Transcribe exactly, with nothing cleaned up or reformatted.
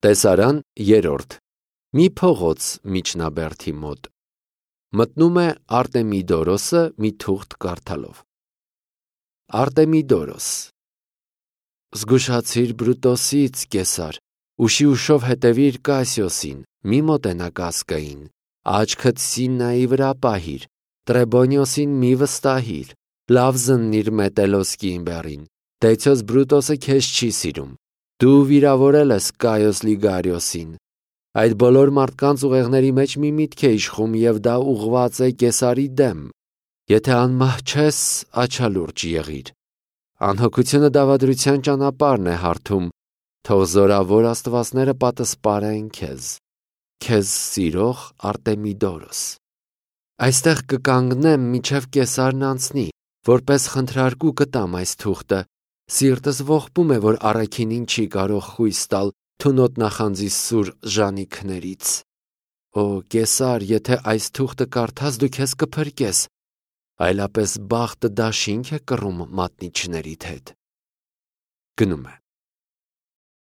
Տեսարան երրորդ. Մի փողոց միջնաբերդի մոտ մտնում է Արտեմիդորոսը մի թուղթ կարդալով։ Արտեմիդորոս. Զգուշացիր Բրուտոսից, Կեսար, ուշի ուշով հետևիր Կասիոսին, մի մոտենա կասկային, աչքդ Սիննայի վրա պահիր, Տրեբոնիոսին մի վստահիր, լավ զննիր Մետելոս կիմբերին, Դեցիոս Բրուտոսը քեզ չի սիրում, դու վիրավորել ես Կայոս Լիգարիոսին։ Այդ բոլոր մարդկանց ուղեղների մեջ մի միտք է իշխում և դա ուղղված է Կեսարի դեմ։ Եթե անմահ չես, աչալուրջ եղիր։ Անհոգությունը դավադրության ճանապարհն է հարթում, թող զորավոր աստվածները պատսպարեն քեզ։ Քեզ սիրող Արտեմիդորոս։ Այստեղ կկանգնեմ, մինչև Կեսարն անցնի, որպես խնդրարկու կտամ այս թուղթը։ Սիրտս ողբում է, որ առաքինին չի կարող խույս տալ թունոտ նախանձի սուր ժանիքներից։ Օ, Կեսար, եթե այս թուղթը կարդաս, դու քեզ կփրկես, այլապես բախտը դաշինք է կռում մատնիչներիդ հետ։ Գնում է։